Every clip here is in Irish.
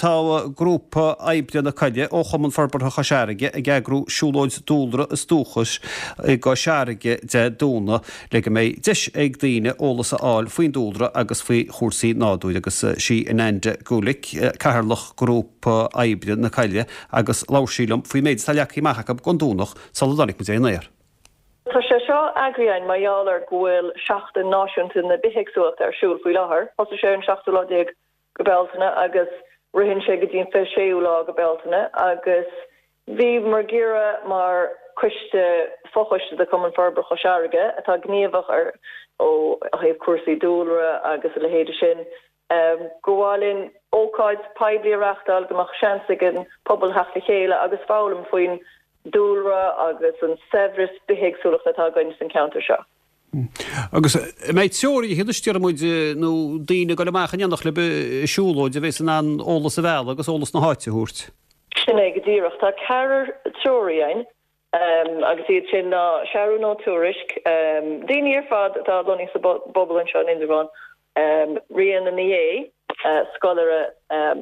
Tá Grúpa Oibre na Coille ó Chumann Forbartha Chois Fharraige ag eagrú siúlóid dúlra is dúchais i gCois Fharraige Dé Domhnaigh le go mbeidh deis ag daoine eolas a fháil faoin dúlra agus faoi chúrsaí nádúir agus sí Ananda Gulick, Cathaoirleach Grúpa Oibre na Coille agus labhair sí liom faoin méid atá leagtha amach acu don Domhnach sula dtáinig muid ar an aer. Tá sé seo eagraithe againn mar gheall ar go bhfuil Seachtain Náisiúnta na Bithéagsúlachta ar siúl faoi láthair. Thosaigh sé ar an seachtú lá déag go Bealtaine agus ritheann sé go dtí an 26ú lá go Bealtaine agus bhíomar ag iarraidh mar coiste, fochoiste de Chumann Forbartha Chois Fharraige atá gníomhach ar ó thaobh cúrsaí dúlra agus a leithéide sin, gur mhaith linn ócáid poiblí a reáchtáil go mbeadh seans ag an pobal theacht le chéile agus foghlaim faoin dúlra agus an saibhreas bithéagsúlachta atá againn san ceantar seo. Agus an mbeidh treoraithe anois, déarfaidh muid, nó daoine ag dul amach in éineacht libh ag siúlóid a bheas in ann eolas a mhealladh agus eolas na háite a thabhairt? Sin é go díreach. Tá ceathrar treoraí againn agus iad sin ná Seathrún Ó Tuairisg, daoine ar fad atá lonnaithe sa bpobal anseo in Indreabhán, Ríona Ní Aodha, scoláire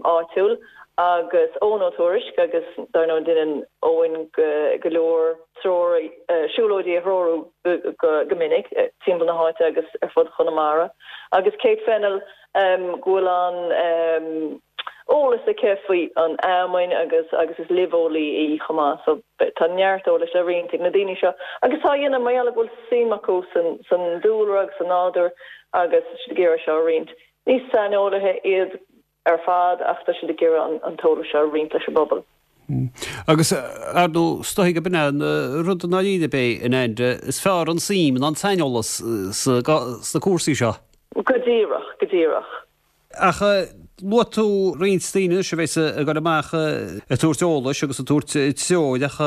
áitiúil, agus Eoin Ó Tuairisg agus dar ndóigh déanann Eoin go leor treoir, siúlóidí a threorú go minic timpeall na háite agus ar fud Chonamara. Agus Kate Fennell go bhfuil an eolas aici faoi an fheamainn agus agus is luibheolaí í chomh maith so tá neart eolais le roinnt ag na daoine seo agus tá a dhéanamh mar gheall go bhfuil suim acu san san dúlra agus sa nádúr agus tá siad ag iarraidh seo a roinnt. Ní saineolaithe iad ar fad ach tá siad ag iarraidh an t-eolas seo a roinnt leis an bpobal. Agus, ar ndóigh, is dóigh gurb in é an rud i ndáiríre ab é, Ananda, is fearr an suim ná an saineolas sna cúrsaí seo. Go díreach, go díreach. Ach luaigh tú roinnt daoine anois a bheas ag dul amach ag tabhairt eolais agus ag tabhairt treoir ach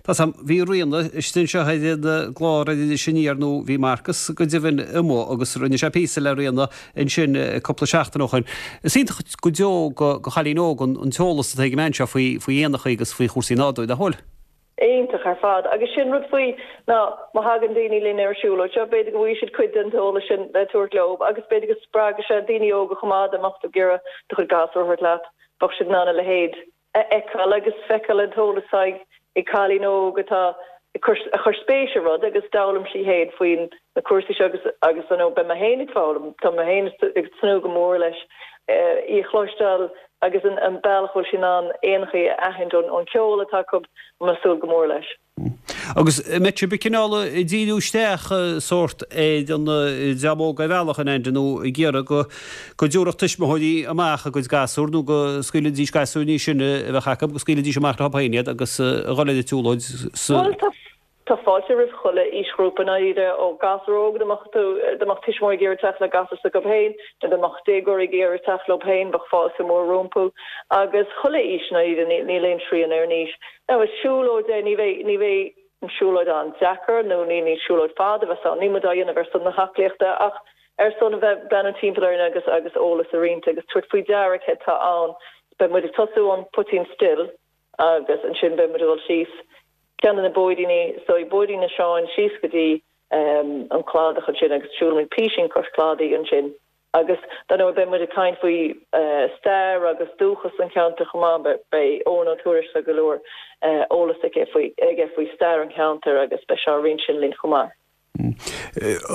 tá 's a'm, bhí Ríona istigh anseo ar an gclár ar Iris Aniar nó bhí Marcus go deimhin amuigh agus rinne sé píosa le Ríona ansin cúpla seachtain ó shoin. Is iontach go deo do chailín óg an t-eolas atá ag an mbean seo faoi éanachaí agus faoi chúrsaí nádúir, nach bhfuil? Iontach ar fad. Agus sin rud faoi ná má thagann daoine linn ar an siúlóid seo, b'fhéidir go bhfaighidh siad cuid den t-eolas sin le tabhairt leo agus b'fhéidir go spreagfaidh sé daoine óga chomh maith dá mbeadh tú ag iarraidh do chuid gasúr a thabhairt leat, bheadh siad in ann a leithéid a fheiceáil agus feiceáil an t-eolas atá ag cailín óg atá ag cur a chuir spéis i rud agus d'fhoghlaim sí féin faoin na cúrsaí seo agus agus you know beidh mé féin ag foghlaim, tá mé féin ag tnúth go mór leis í a chloisteáil agus an an bealach a bhfuil sí in ann éanachaí a aithint ón ón ceol atá acu, tá mé ag súil go mór leis. Agus an mbeidh sibh ag cineál ag díriú isteach sórt ar an dream óg ar bhealach Ananda nó ag iarraidh go go dtabharfadh tuismitheoirí amach a gcuid gasúr nó go scaoilfidís gasúir níos sine a bheadh acu, go scaoilfidís amach leo féin iad agus a dhul ar an tsiúlóid sa Bhuel tá Tá fáilte roimh chuile aoisghrúpa i ndáiríre, ó ghasúr óg, dá mbeadh tú, dá mbeadh tuismitheoirí ag iarraidh teacht le gasúr s'acu féin, nó dá mbeadh déagóirí ag iarraidh teacht leo féin, bheadh fáilte mhór rompu. Agus chuile aois i ndáiríre, níl aon srian ar an aois. Now is siúlóid é, ní bheidh, ní bheidh an siúlóid an-deacair nó ní, ní siúlóid fada a bheas ann, níl muid á dhéanamh ar son na haclaíochta ach ar son a bheith ag breathnú timpeall orainn agus, agus eolas a roinnt agus tabhairt faoi deara céard tá ann. Beidh muid ag tosú ón Poitín Stil agus ansin beidh muid ag dul síos ceann de na bóithríní, so Bóithrín na Seáin síos go dtí an cladach ansin agus siúlfaimid písín cois cladaigh ansin agus dar ndóigh beidh muid ag caint faoi stair agus dúchas an cheantair chomh maith, beidh Eoin Ó Tuairisg tá go leor eolas aige faoi aige faoi stair an cheantair agus beidh sé á roinnt sin linn chomh maith.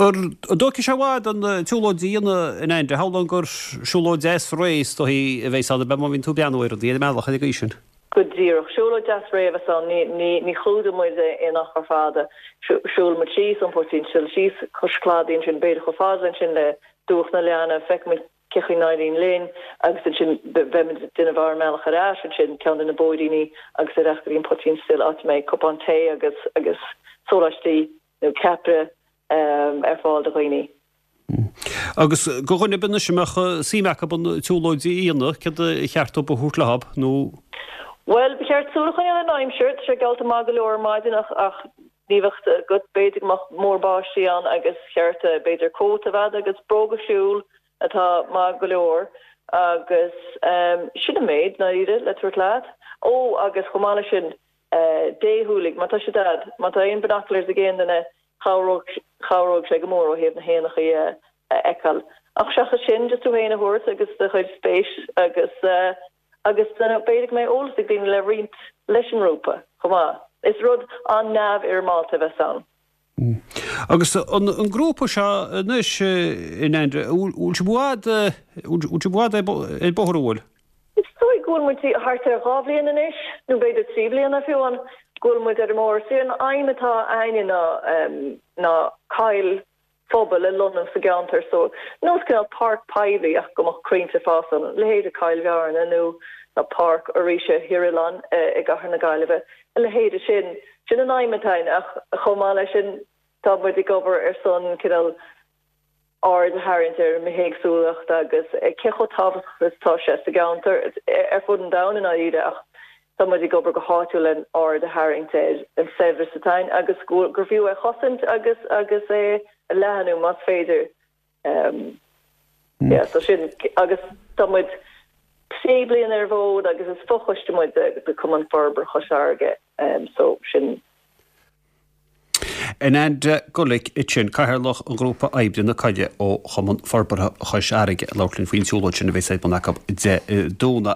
An dtógfaidh sé i bhfad an tsiúlóid a dhéanamh Ananda? Shamhlóinn gur siúlóid deas réidh is dóichí a bheas ann, ab ea, má bhíonn tú ag breathnú ar rudaí ar an mbealach ar an gcaoi sin? Go díreach. Siúlóid deas réidh a bheas ann. Ní chlúdóidh muid aon achar fada. Siúlfaidh muid síos ón Poitín Stil síos cois cladaigh ansin, b'fhéidir chomh fada ansin le Dumhach na Leanna, feicfidh muid cé chaoi n-éiríonn linn agus ansin beidh muid ag déanamh ár mbealach ar ais ansin, ceann de na bóithríní agus ar ais go dtí an Poitín Stil áit a mbeidh cupán tae agus agus sóláistí nó ceapaire ar fáil do dhaoine. Agus do dhuine ar bith anois a mbeadh suim acu an tsiúlóid a dhéanamh, céard a cheart dóibh a thabhairt leo nó? Bhuel, ba cheart súil a choinneáil ar an aimsir, tá sé geallta maith go leor ar maidin ach ach ní bheadh agat, b'fhéidir go mbeadh múr báistí ann agus cheart b'fhéidir cóta a bheith agat agus bróga siúil atá maith go leor agus sin an méid, ndáiríre, le tabhairt leat. Ó, agus chomh maith leis sin, déshúiligh, má tá siad a'd, má tá aon binoculars ag aon duine, chabhródh, chabhródh sé go mór ó thaobh na héanachaí a fheiceáil. Ach seachas sin, just tú féin a thabhairt agus do chuid spéis agus. Agus b'fhéidir go mbeidh eolas ag daoine le roinnt leis an ngrúpa chomh maith. Is rud an-neamhfhoirmeálta a bheas ann. Agus an grúpa seo anois, a Andrea, bhfuil sibh i bhfad, bhfuil sibh i bhfad ar bóthar, an bhfuil? Is dóigh go bhfuil muid thart ar 2 bhliain anois, nó b'fhéidir 3 bliana fiú amháin, go bhfuil muid ar an mbóthar. Is é an aidhm atá a'ainne ná ná coill phobail a lonnú sa gceantar so, nós cineál páirc poiblí ach go mbeadh crainnte ag fás ann, leithéide Coill Bhearna nó nó Páirc Fhoraoise Thír Oileáin i gCathair na Gaillimhe, a leithéide sin. Sin an aidhm atá a'ainn ach chomh maith leis sin tá muid ag obair ar son cineál aird a tharraingt ar an mbithéagsúlacht agus cé chomh tábhachtach is atá sé sa gceantar, ar fud an domhain i ndáiríre ach tá muid ag obair go háitiúil le aird a tharraingt ar an saibhreas atá ann agus gur fiú é a chosaint agus agus é a leathnú más féidir. Yeah, so sin agus tá muid sé bliana ar an bhfód agus is fochoiste muid de Cumann Forbartha Chois Fharraige so sin. Ananda Gullick ansin, Cathaoirleach an Ghrúpa Oibre na Coille ó Chumann Forbartha Chois Fharraige ag labhairt linn faoin tsiúlóid sin a bheas ar bun acu Dé Domhnaigh.